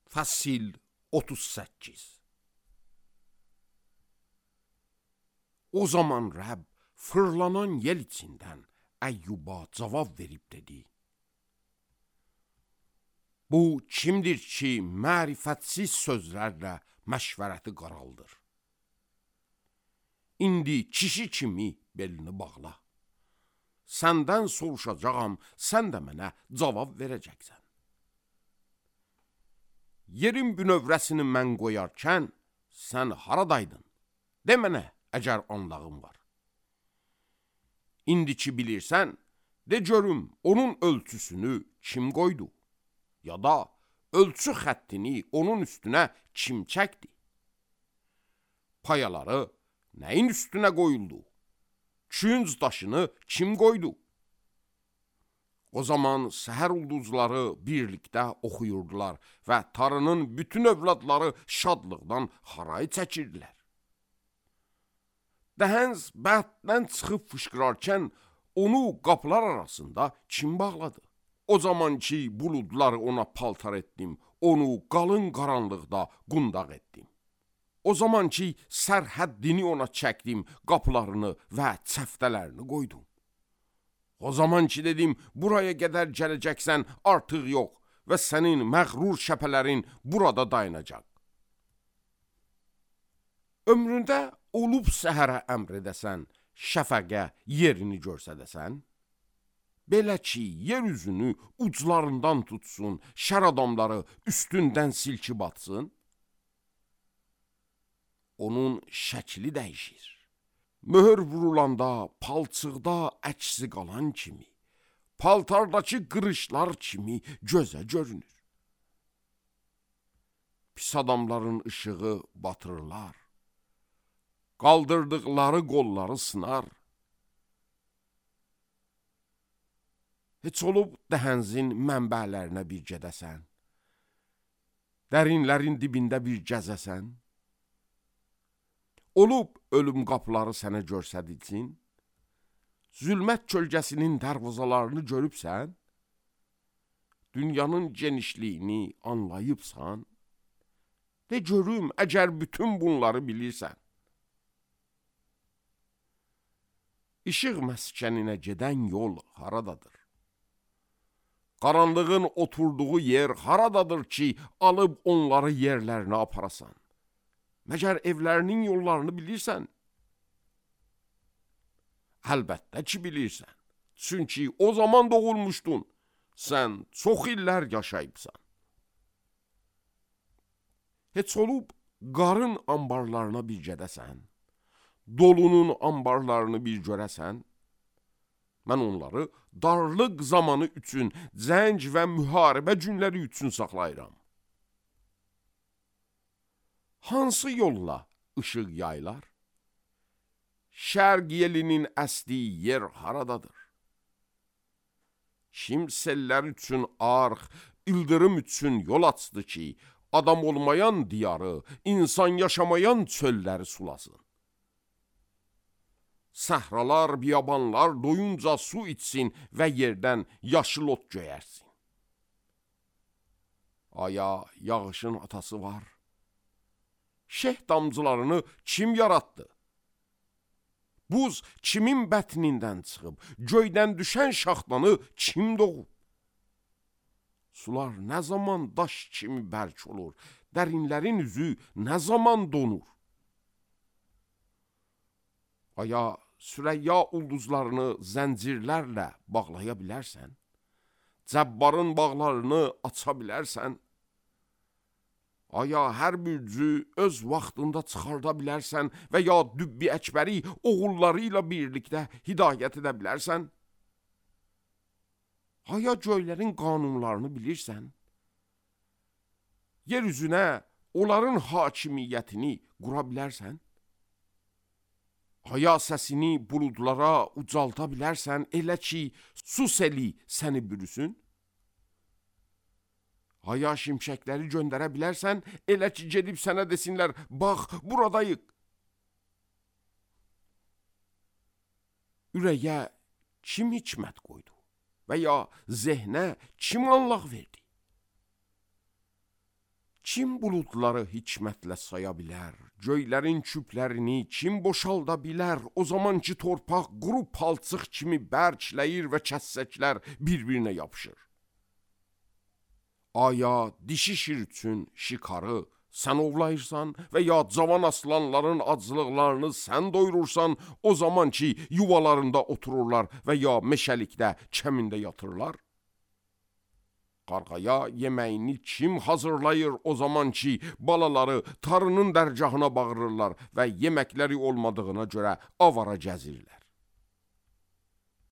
Fəsil 38. O zaman Rəbb fırlanan yel içindən Əyyuba cavab verib dedi: Bu kimdir ki, mərifətsiz sözlərlə məşvərəti qaraldır? İndi kişi kimi belini bağla. Səndən soruşacağam, sən də mənə cavab verəcəksən. Yerin bünövrəsini mən qoyarkən, sən haradaydın? De mənə, əgər anlağın var. İndi ki bilirsən, de görüm, onun ölçüsünü kim qoydu? Ya da ölçü xəttini onun üstünə kim çəkdi? Payaları nəyin üstünə qoyuldu? Künc daşını kim qoydu? O zaman səhər ulduzları birlikdə oxuyurdular və tarının bütün övladları şadlıqdan haray çəkirdilər. Dəhəns bətdən çıxıb fışqırarkən onu qapılar arasında kim bağladı? O zaman ki buludları ona paltar etdim, onu qalın qaranlıqda qundaq etdim. O zaman ki sərhəddini ona çəkdim, qapılarını və çəftələrini qoydum. O zaman ki dedim, buraya qədər gələcəksən, artıq yox və sənin məğrur şəpələrin burada dayanacaq. Ömründə olub səhərə əmr edəsən, şəfəqə yerini görsədəsən, belə ki, yer üzünü uclarından tutsun, şər adamları üstündən silkib atsın, onun şəkli dəyişir. Möhür vurulanda, palçıqda əksi qalan kimi, paltardakı qırışlar kimi gözə görünür. Pis adamların işığı batırırlar, qaldırdıqları qolları sınar. Heç olub dəhənzin mənbələrinə bir gedəsən, dərinlərin dibində bir gəzəsən, olub ölüm qapıları sənə görsədilsin, zülmət kölgəsinin dərvazalarını görübsən, dünyanın genişliyini anlayıbsan, de görüm, əgər bütün bunları bilirsən. İşıq məskəninə gedən yol haradadır? Qaranlığın oturduğu yer haradadır ki, alıb onları yerlərinə aparasan? Məgər evlərinin yollarını bilirsən? Əlbəttə ki bilirsən. Çünki o zaman doğulmuşdun. Sən çox illər yaşayıbsan. Heç olub qarın ambarlarına bir gedəsən, dolunun ambarlarını bir görəsən, mən onları darlıq zamanı üçün, cəng və müharibə günləri üçün saxlayıram. Hansı yolla ışıq yaylar? Şərq yelinin əsdiyi yer haradadır? Kim sellər üçün arx, ildırım üçün yol açdı ki, adam olmayan diyarı, insan yaşamayan çölləri sulasın. Səhralar, biyabanlar doyunca su içsin və yerdən yaşıl ot göyərsin. Aya, yağışın atası var. Şeh damcılarını kim yarattı? Buz kimin bətnindən çıxıb, göydən düşən şaxtanı kim doğub? Sular nə zaman daş kimi bərk olur, dərinlərin üzü nə zaman donur? Aya, Sürəyya ulduzlarını zəncirlərlə bağlaya bilərsən? Cəbbarın bağlarını aça bilərsən? Aya, hər bürcü öz vaxtında çıxarda bilərsən və ya Dübbi Əkbəri oğulları ilə birlikdə hidayət edə bilərsən? Aya, göylərin qanunlarını bilirsən? Yer üzünə onların hakimiyyətini qura bilərsən? Aya, səsini buludlara ucalda bilərsən, elə ki, su seli səni bürüsün? Aya, şimşəkləri göndərə bilərsən, elə ki, gedib sənə desinlər, bax, buradayıq. Ürəyə kim hikmət qoydu və ya zehnə kim anlaq verdi? Kim buludları hikmətlə saya bilər? Göylərin küplərini kim boşalda bilər? O zaman ki torpaq quru palçıq kimi bərkləyir və kəssəklər bir-birinə yapışır. Aya dişi şir üçün şikarı sən ovlayırsan və ya cavan aslanların acılıqlarını sən doyurursan, o zaman ki yuvalarında otururlar və ya meşəlikdə kəmində yatırlar. Qarğaya yeməyini kim hazırlayır o zaman ki balaları tarının dərgahına bağırırlar və yeməkləri olmadığına görə avara gəzirlər.